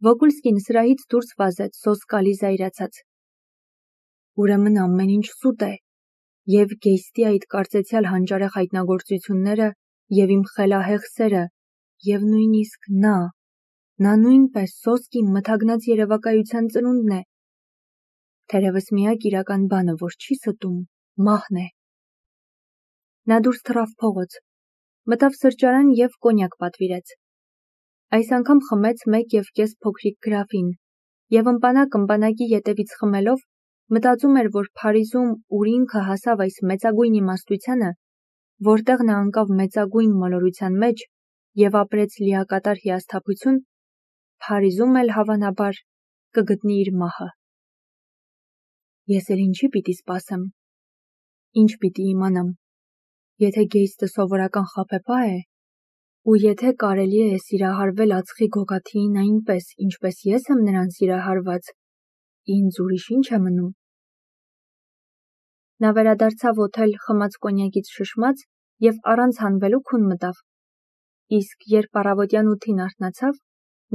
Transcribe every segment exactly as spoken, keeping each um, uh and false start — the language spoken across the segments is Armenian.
Վոկուլսկին սրահից դուրս վազեց սոսկալի զայրացած։ Ուրեմն ամեն ինչ սուտ է, և Գեյստի այդ կարծեցյալ հանճարեղ հայտնագործությունները, և իմ խելահեղ սերը, և նույնիսկ նա, նա նույնպես սոսկի մթագնած երևակայության ծնունդն է։ Թերևս միակ իրական բանը, որ չի ստում, մահն է։ Նա դուրս թռավ փողոց, մտավ սրճարան և կոնյակ պատվիրեց։ Այս անգամ խմեց մեկ և կես փոքրիկ գրաֆին, և ըմպանակ-ըմպանակի ետևից խմելով, մտածում էր, որ Փարիզում, ուր ինքը հասավ այս մեծագույն իմաստությանը, որտեղ նա ընկավ մեծագույն մոլորության մեջ և ապրեց լիակատար հիասթափություն, Փարիզում էլ, հավանաբար, կգտնի իր մահը։ Ես էլ ինչի պիտի սպասեմ, ինչ պիտի իմանամ, եթե Գեյստը սովորական խաբեբա է, ու եթե կարելի է սիրահարվել ածխի գոգաթիին այնպես, ինչպես ես եմ նրան սիրահարված, ինձ ուրիշ ինչ է մնում։ Նա վերադարձավ օթել խմած կոնյակից շշմած և առանց հանվելու քուն մտավ, իսկ երբ առավոտյան ութին արթնացավ,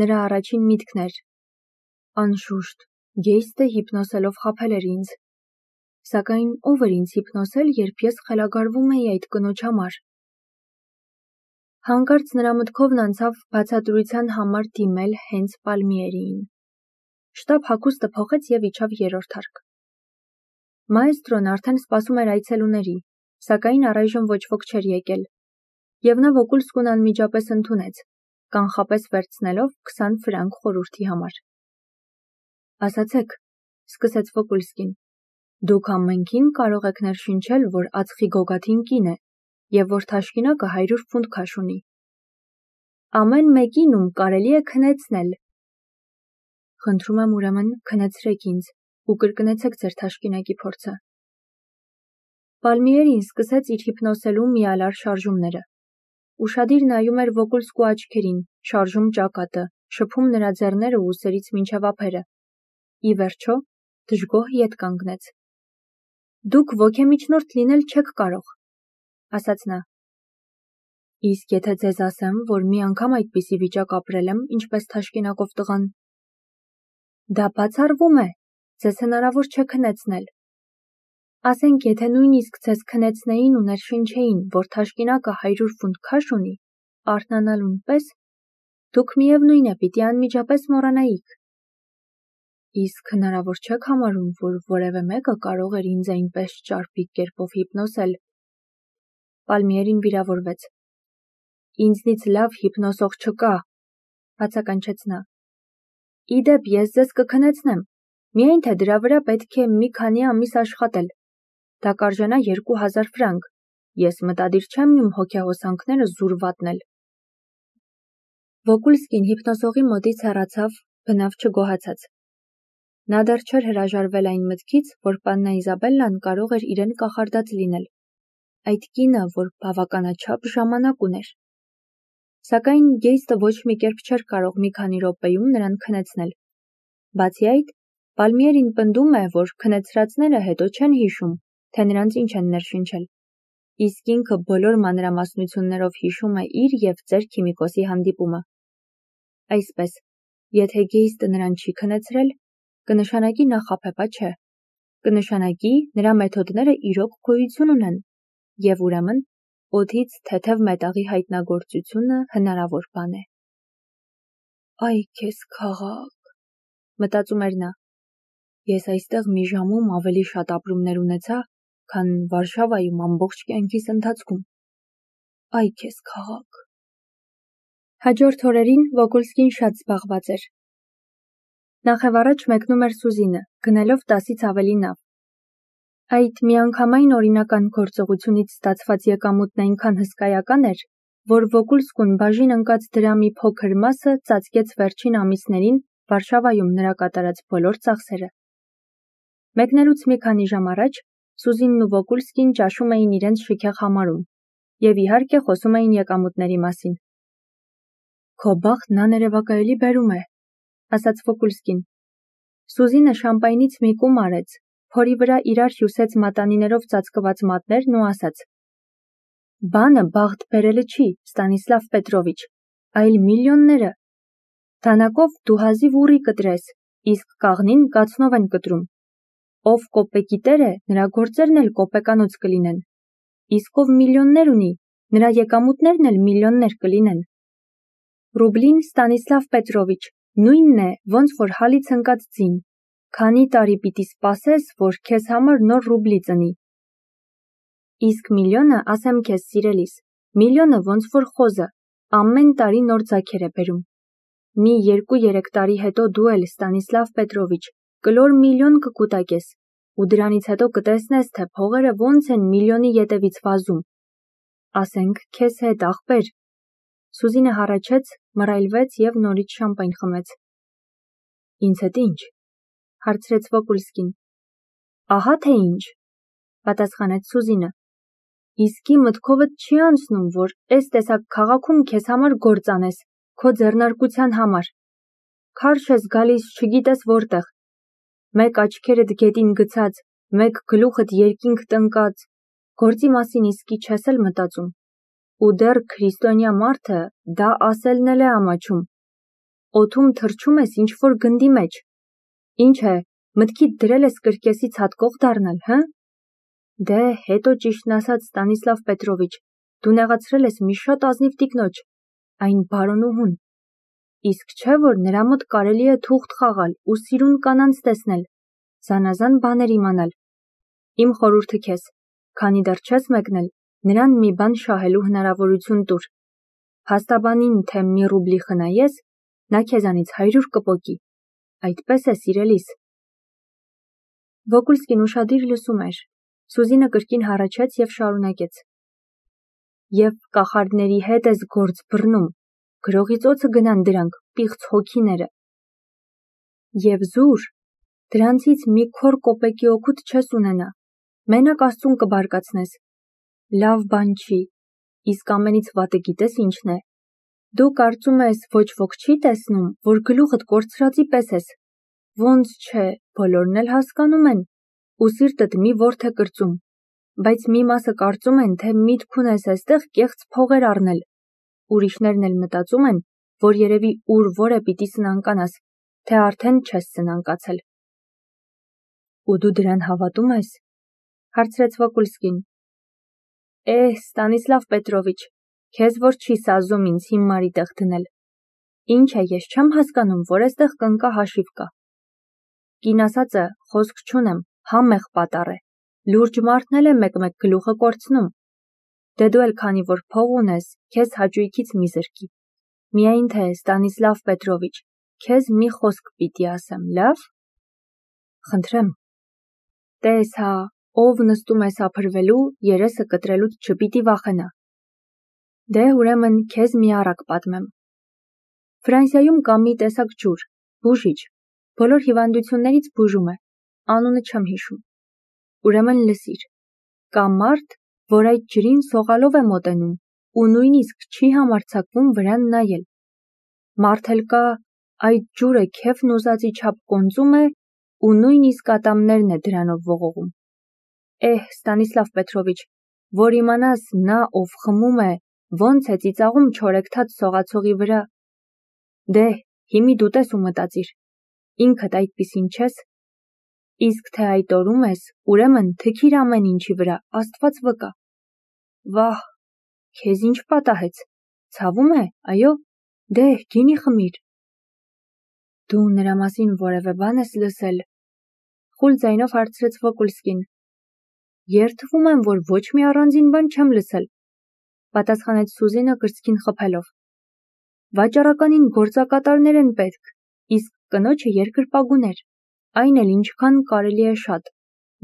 նրա առաջին միտքն էր. անշուշտ, Գեյստը հիպնոսելով խաբել էր ինձ, սակայն ով էր ինձ հիպնոսել, երբ ես խելագարվում էի այդ կնոջ համար։ Հանկարծ նրա մտքովն անցավ բացատրության համար դիմել հենց Պալմիերիին։ Շտապ հագուստը փոխեց և իջավ երրորդ հարկ։ Մաեստրոն արդեն սպասում էր այցելուների, սակայն առայժմ ոչ ոք չէր եկել, և նա Վոկուլսկուն անմիջապես ընդունեց, կանխապես վերցնելով քսան ֆրանկ խորհրդի համար։ Ասացեք, սկսեց Վոկուլսկին, դուք ամենքին կարող եք ներշնչել, որ ածխի գոգաթին կին է, և որ թաշկինակը հարյուր ֆունտ քաշ ունի։ Ամեն մեկին, ում կարելի է քնեցնել։ Խնդրում եմ ուրեմն քնեցրեք ինձ ու կրկնեցեք ձեր թաշկինակի փորձը։ Պալմիերին սկսեց իր հիպնոսելու միալար շարժումները։ Ուշադիր նայում էր Վոկուլսկու աչքերին, շարժում ճակատը, շփում նրա ձեռները ուսերից մինչև ափերը։ Ի վերջո, դժգոհ ետ կանգնեց։ Դուք ոգեմիջնորդ լինել չեք կարող, ասաց նա։ Իսկ եթե ձեզ ասեմ, որ մի անգամ այդպիսի վիճակ ապրել եմ, ինչպես թաշկինակով տղան։ Դա բացառվում է, ձեզ հնարավոր չէ քնեցնել։ Ասենք, եթե նույնիսկ ձեզ քնեցնեին ու ներշնչեին, որ թաշկինակը հարյուր ֆունտ քաշ ունի, արթնանալուն պես, դուք միևնույն է պիտի անմիջապես մոռանայիք։ Իսկ հնարավոր չեք համարում, որ որևէ մեկը կարող էր ինձ այնպես ճարպիկ կերպով հիպնոսել։ Պալմիերին վիրավորվեց։ Ինձնից լավ հիպնոսող չկա, բացականչեց նա։ Ի դեպ, ես ձեզ կքնեցնեմ, միայն թե դրա վրա պետք է մի քանի ամիս աշխատել։ Դա կարժենա երկու հազար ֆրանկ, ես մտադիր չեմ իմ հոգեհոսանքները զուր վատնել։ Վոկուլսկին հիպնոսողի մոտից հեռացավ, բնավ չգոհացած։ Նա դեռ չէր հրաժարվել այն մտքից, որ պաննա Իզաբելլան կարող էր իրեն կախարդած լինել, այդ կինը, որ բավականաչափ ժամանակ ուներ։ Սակայն Գեյստը ոչ մի կերպ չէր կարող մի քանի րոպեում նրան քնեցնել։ Բացի այդ, Պալմիերին պնդում է, որ քնեցրածները հետո չեն հիշում, թե նրանց ինչ են ներշնչել, իսկ ինքը բոլոր մանրամասնություններով հիշում է իր և ծեր քիմիկոսի հանդիպումը։ Այսպես, եթե Գեյստը նրան չի քնեցրել, կնշանակի նա խաբեբա չէ, կնշանակի նրա մեթոդները իրոք գոյություն ունեն, և ուրեմն օդից թեթև մետաղի հայտնագործությունը հնարավոր բան է։ Այ քեզ քաղաք, մտածում էր նա, ես այստեղ մի ժամում ավելի շատ ապրումներ ունեցա, քան Վարշավայում ամբողջ կյանքիս ընթացքում։ Այ քեզ քաղաք։ Հաջորդ օրերին Վոկուլսկին շատ զբաղված էր։ Նախևառաջ մեկնում էր Սուզինը, գնելով տասից ավելի նավ։ Այդ միանգամայն օրինական գործողությունից ստացված եկամուտն այնքան հսկայական էր, որ Վոկուլսկուն բաժին ընկած դրամի փոքր մասը ծածկեց վերջին ամիսներին Վարշավայում նրա կատարած բոլոր ծախսերը։ Մեկնելուց մի քանի ժամ առաջ Սուզինն ու Վոկուլսկին ճաշում էին իրենց շքեղ համարում և իհարկե խոսում էին եկամուտների մասին։ Քո բախտն աներևակայելի բերում է, ասաց Վոկուլսկին։ Սուզինը շամպայնից մի կում արեց, փորի վրա իրար հյուսեց մատանիներով ծածկված մատներն ու ասաց. Բանը բախտ բերելը չի, Ստանիսլավ Պետրովիչ, այլ միլիոնները։ Թանակով դու հազիվ ուռի կտրես, իսկ կաղնին կացնով են կտրում։ Ով կոպեկի տեր է, նրա գործերն էլ կոպեկանոց կլինեն։ Իսկ ով միլիոններ ունի, նրա եկամուտներն էլ միլիոններ կլինեն։ Ռուբլին, Ստանիսլավ Պետրովիչ, նույնն է, ոնց որ հալից ընկած ձին, քանի տարի պիտի սպասես, որ քեզ համար նոր ռուբլի ծնի։ Իսկ միլիոնը, ասեմ քեզ սիրելիս, միլիոնը ոնց որ խոզը, ամեն տարի նոր ձագեր է բերում։ Մի երկու-երեք տարի հետո դու էլ, Ստանիսլավ Պետրովիչ, կլոր միլիոն կկուտակես, ու դրանից հետո կտեսնես, թե փողերը ոնց են միլիոնի ետևից վազում։ Ասենք քեզ հետ, ախպեր։ Սուզինը հառաչեց, մռայլվեց և նորից շամպայն խմեց։ Ինձ հետ ինչ, հարցրեց Վոկուլսկին։ Ահա թե ինչ, պատասխանեց Սուզինը։ Իսկի մտքովդ չի անցնում, որ էս տեսակ քաղաքում քեզ համար գործ անես, քո ձեռնարկության համար։ Քարշ ես գալիս չգիտես որտեղ։ Մեկ աչքերդ գետին գցած, մեկ գլուխդ երկինք տնկած, գործի մասին իսկի չես էլ մտածում։ Ու դեռ քրիստոնյա մարդը դա ասելն էլ է ամաչում։ Օդում թռչում ես ինչ-որ գնդի մեջ։ Ինչ է, մտքիդ դրել ես կրկեսից հատկող դառնալ, հը։ Դե, հետո ճիշտն ասած, Ստանիսլավ Պետրովիչ, դու նեղացրել ես մի շատ ազնիվ տիկնոջ, այն բարոնուհուն։ Իսկ չէ, որ նրա մոտ կարելի է թուղթ խաղալ ու սիրուն կանանց տեսնել, զանազան բաներ իմանալ։ Իմ խորհուրդը քեզ, քանի դեռ չես մեկնել, նրան մի բան շահելու հնարավորություն տուր։ Փաստաբանին, թե մի ռուբլի խնայես, նա քեզանից հարյուր կպոկի։ Այդպես է, սիրելիս։ Վոկուլսկին ուշադիր լսում էր։ Սուզինը կրկին հառաչեց և շարունակեց. Եվ կախարդների հետ ես գործ բռնում, գրողից օձը գնան դրանք, պիղծ հոգիները։ Եվ զուր, դրանցից մի քոր կոպեկի օգուտ չես ունենա, մենակ Աստծուն կբարկացնես։ Լավ բան չի, իսկ ամենից վատը գիտես ինչն է։ Դու կարծում ես ոչ ոք չի տեսնում, որ գլուխդ կորցրածի պես ես։ Ոնց չէ, բոլորն էլ հասկանում են, ու սիրտդ մի ворթ է կրծում, բայց մի մասը կարծում են, թե միտք ունես այստեղ կեղծ փողեր առնել։ Ուրիշներն էլ մտածում են, որ երևի ուր որ է պիտի սնանկանաս, թե արդեն չես սնանկացել։ Ու դու դրան հավատում ես, հարցրեց Վոկուլսկին։ Էհ, Ստանիսլավ Պետրովիչ, քեզ որ չի սազում ինձ հիմարի տեղ դնել։ Ինչ է, ես չեմ հասկանում, որ այստեղ կնկա հաշիվ կա։ Կին ասածը, խոսք չունեմ, համեղ պատառ է, լուրջ մարդն էլ է մեկ-մեկ գլուխը կորցնում։ Դե դու էլ քանի որ փող ունես, քեզ հաճույքից մի զրկի։ Միայն թե, Ստանիսլավ Պետրովիչ, քեզ մի խոսք պիտի ասեմ, լավ։ Խնդրեմ։ Տես հա, ով նստում է սափրվելու, երեսը կտրելուց չպիտի վախենա։ Դե ուրեմն քեզ մի առակ պատմեմ։ Ֆրանսիայում կա մի տեսակ ջուր, բուժիչ, բոլոր հիվանդություններից բուժում է, անունը չեմ հիշում։ Ուրեմն լսիր, կա մարդ, որ այդ ջրին սողալով է մոտենում ու նույնիսկ չի համարձակվում վրան նայել։ Մարդ էլ կա, այդ ջուրը քեֆն ուզածի չափ կոնծում է ու նույնիսկ ատամներն է դրանով ողողում։ Էհ, Ստանիսլավ Պետրովիչ, որ իմանաս նա, ով խմում է, ոնց է ծիծաղում չորեքթաթ սողացողի վրա։ Դե, հիմի դու տես ու մտածիր, ինքդ այդպիսին չես։ Իսկ թե այդ օրում ես, ուրեմն թքիր ամեն ինչի վրա, Աստված վկա։ Վահ, քեզ ինչ պատահեց, ցավում է, այո, դե, գինի խմիր։ Դու նրա մասին որևէ բան ես լսել, խուլ ձայնով հարցրեց Վոկուլսկին։ Երդվում եմ, որ ոչ մի առանձին բան չեմ լսել, պատասխանեց Սուզինը կրծքին խփելով։ Վաճառականին գործակատարներ են պետք, իսկ կնոջը երկրպագուներ, այն էլ ինչքան կարելի է շատ,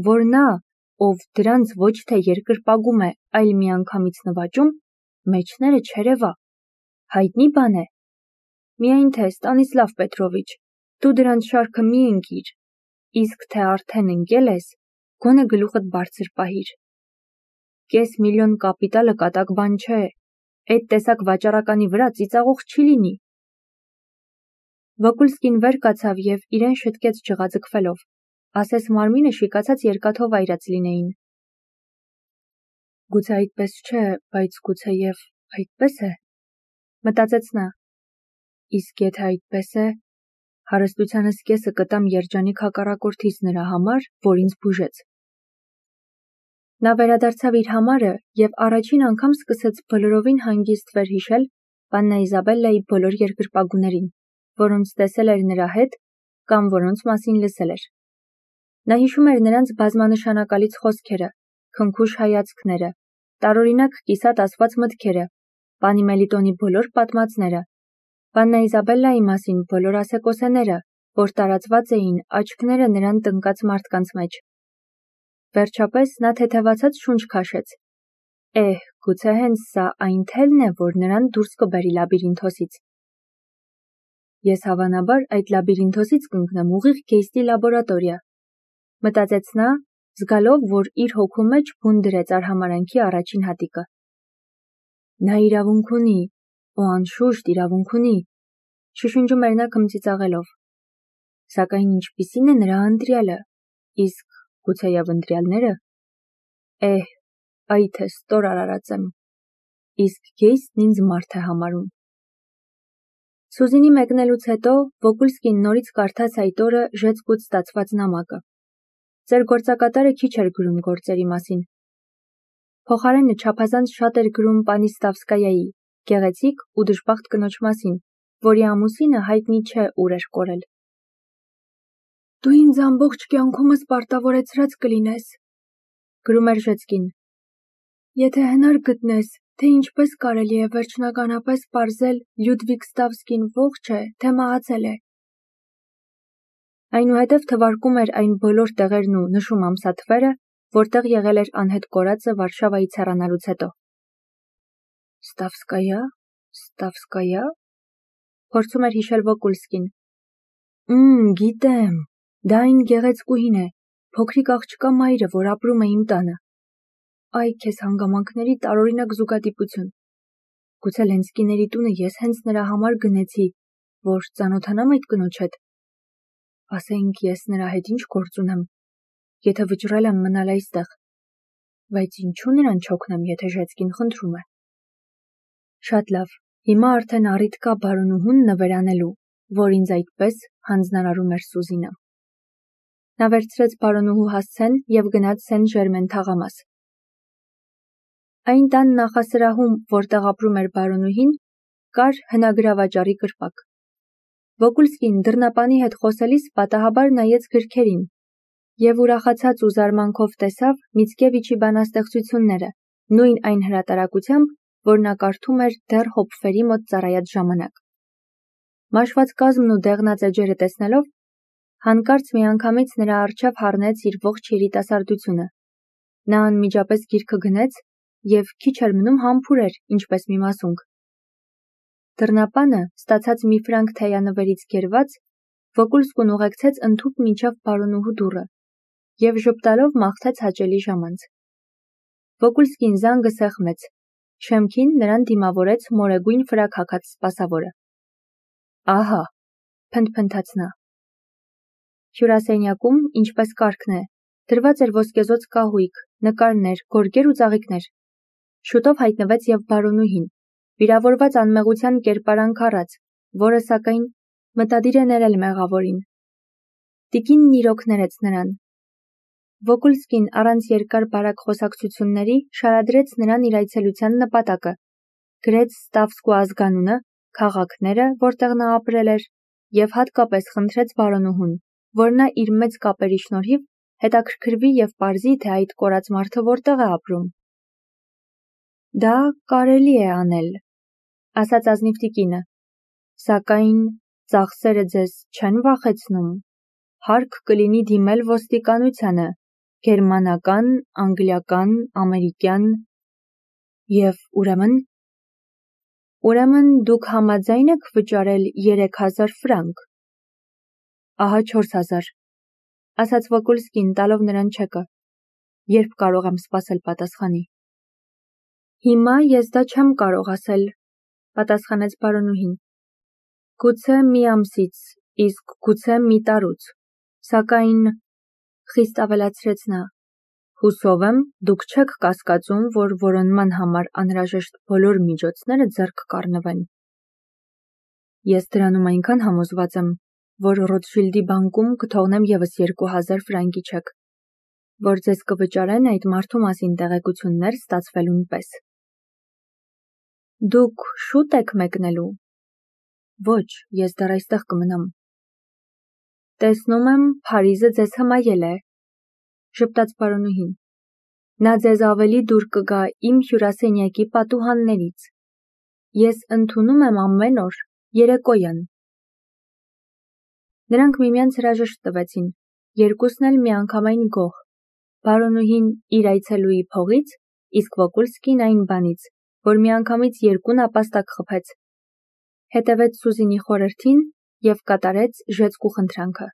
որ նա, ով դրանց ոչ թե երկրպագում է, այլ միանգամից նվաճում, մեջները չերևա, հայտնի բան է։ Միայն թե, Ստանիսլավ Պետրովիչ, դու դրանց շարքը մի ընկիր, իսկ թե արդեն ընկել ես, գոնե գլուխդ բարձր պահիր։ Կես միլիոն կապիտալը կատակ բան չէ, այդ տեսակ վաճառականի վրա ծիծաղող չի լինի։ Վոկուլսկին վեր կացավ և իրեն շտկեց ջղաձգվելով, ասես մարմինը շիկացած երկաթով այրած լինեին։ Գուցե այդպես չէ, բայց գուցե և այդպես է, մտածեց նա։ Իսկ եթե այդպես է, հարստությանս կեսը կտամ երջանիկ հակառակորդից նրա համար, որ ինձ բուժեց։ Նա վերադարձավ իր համարը և առաջին անգամ սկսեց բոլորովին հանգիստ վերհիշել Պաննա Իզաբելլայի բոլոր երկրպագուներին, որոնց տեսել էր նրա հետ կամ որոնց մասին լսել էր։ Նա հիշում էր նրանց բազմանշանակալից խոսքերը, քնքուշ հայացքները, տարօրինակ կիսատ ասված մտքերը, պանի Մելիտոնի բոլոր պատմածները, Պաննա Իզաբելլայի մասին բոլոր ասեկոսեները, որ տարածված էին աչքները նրան տնկած մարդկանց մեջ։ Վերջապես նա թեթևացած շունչ քաշեց։ Էհ, գուցե հենց սա այն թելն է, որ նրան դուրս կբերի լաբիրինթոսից։ Ես հավանաբար այդ լաբիրինթոսից կընկնեմ ուղիղ Գեյստի լաբորատորիա, մտածեց նա, զգալով, որ իր հոգու մեջ բուն դրեց արհամարհանքի առաջին հատիկը։ Նա իրավունք ունի, ու անշուշտ իրավունք ունի, շշնջում էր նա քմծիծաղելով։ Սակայն ինչպիսին է նրա ընտրյալը, իսկ գուցեև ընտրյալները։ Էհ, այ թե ստոր արարած եմ, իսկ Գեյստն ինձ մարդ է համարում։ Սուզինի մեկնելուց հետո Վոկուլսկին նորից կարդաց այդ օրը ժեցկուց ստացված նամակը։ Ձեր գործակատարը քիչ էր գրում գործերի մասին։ Փոխարենը չափազանց շատ էր գրում պանի Ստավսկայայի, գեղեցիկ ու դժբախտ կնոջ մասին, որի ամուսինը հայտնի չէ ուր էր կորել։ Դու ինձ ամբողջ կյանքումս պարտավորեցրած կլինես, գրում էր Ժեցկին։ Եթե հնար գտնես, թե ինչպես կարելի է վերջնականապես պարզել Լյուդվիգ Ստավսկին ողջ է, թե մահացել է։ Այնուհետև թվարկում էր այն բոլոր տեղերն ու նշում ամսաթվերը, որտեղ եղել էր անհետ կորածը Վարշավայից հեռանալուց հետո։ Ստավսկայա, Ստավսկայա, փորձում էր հիշել Վոկուլսկին։ Մմ, գիտեմ, դա այն գեղեցկուհին է, փոքրիկ աղջկա մայրը, որ ապրում է իմ տանը։ Այ քեզ հանգամանքների տարօրինակ զուգադիպություն։ Գուցե Լենսկիների տունը ես հենց նրա համար գնեցի, որ ծանոթանամ այդ կնոջ հետ։ Ասենք ես նրա հետ ինչ գործ ունեմ, եթե վճռել եմ մնալ այստեղ, բայց ինչու նրան չօգնեմ, եթե Ժեցկին խնդրում է։ Շատ լավ, հիմա արդեն առիթ կա բարոնուհուն նվերանելու, որ ինձ այդպես հանձնարարում էր Սուզինը։ Նա վերցրեց բարոնուհու հասցեն և գնաց Սեն Ժերմեն թաղամաս։ Այն տան նախասրահում, որտեղ ապրում էր բարոնուհին, կար հնագրավաճառի կրպակ։ Վոկուլսկին դռնապանի հետ խոսելիս պատահաբար նայեց գրքերին և ուրախացած ու զարմանքով տեսավ Միցկևիչի բանաստեղծությունները, նույն այն հրատարակությամբ, որ նա կարդում էր դեռ Հոփֆերի մոտ ծառայած ժամանակ։ Մաշված կազմն ու դեղնած էջերը տեսնելով, հանկարծ միանգամից նրա առջև հառնեց իր ողջ երիտասարդությունը։ Նա անմիջապես գիրքը գնեց և քիչ էր մնում համբուրեր, ինչպես մի մասունք։ Դռնապանը, ստացած մի ֆրանկ թեյանվերից գերված, Վոկուլսկուն ուղեկցեց ընդհուպ մինչև բարոնուհու դուռը և ժպտալով մաղթեց հաճելի ժամանց։ Վոկուլսկին զանգը սեղմեց, շեմքին նրան դիմավորեց մորեգույն ֆրակ հագած սպասավորը։ Ահա, փնթփնթաց նա։ Հյուրասենյակում, ինչպես կարգն է, դրված էր ոսկեզօծ կահույք, նկարներ, գորգեր ու ծաղիկներ։ Շուտով հայտնվեց և բարոնուհին, վիրավորված անմեղության կերպարանք առած, որը, սակայն, մտադիր է ներել մեղավորին։ Տիկինն իրոք ներեց նրան։ Վոկուլսկին առանց երկար բարակ խոսակցությունների շարադրեց նրան իր այցելության նպատակը, գրեց Ստավսկու ազգանունը, քաղաքները, որտեղ նա ապրել էր, և հատկապես խնդրեց բարոնուհուն, որ նա իր մեծ կապերի շնորհիվ հետաքրքրվի և պարզի, թե այդ կորած մարդը որտեղ է ապրում։ Դա կարելի է անել, ասաց ազնիվ տիկինը, սակայն ծախսերը ձեզ չեն վախեցնում, հարկ կլինի դիմել ոստիկանությանը, գերմանական, անգլիական, ամերիկյան, և ուրեմն… Ուրեմն դուք համաձայն եք վճարել երեք հազար ֆրանկ։ Ահա չորս հազար, ասաց Վոկուլսկին, տալով նրան չեկը, երբ կարող եմ սպասել պատասխանի։ Հիմա ես դա չեմ կարող ասել, պատասխանեց բարոնուհին։ Գուցե մի ամսից, իսկ գուցե մի տարուց, սակայն, խիստ ավելացրեց նա, հուսով եմ, դուք չեք կասկածում, որ որոնման համար անհրաժեշտ բոլոր միջոցները ձեռք կառնվեն։ Ես դրանում այնքան համոզված եմ, որ Ռոթշիլդի բանկում կթողնեմ ևս երկու հազար ֆրանկի չեք, որ ձեզ կվճարեն այդ մարդու մասին տեղեկություններ ստացվելուն պես։ Դուք շուտ եք մեկնելու։ Ոչ, ես դեռ այստեղ կմնամ։ Տեսնում եմ, Փարիզը ձեզ հմայել է, ժպտաց պարոնուհին։ Նա ձեզ ավելի դուր կգա իմ հյուրասենյակի պատուհաններից։ Ես ընդունում եմ ամեն օր, երեկոյան։ Նրանք միմյանց հրաժեշտ տվեցին, երկուսն էլ միանգամայն գոհ։ Պարոնուհին իր այցելուի փողից, իսկ Վոկուլսկին այն բանից, որ միանգամից երկու նապաստակ խփեց։ Հետևեց Սուզինի խորհրդին և կատարեց ժեցկու խնդրանքը։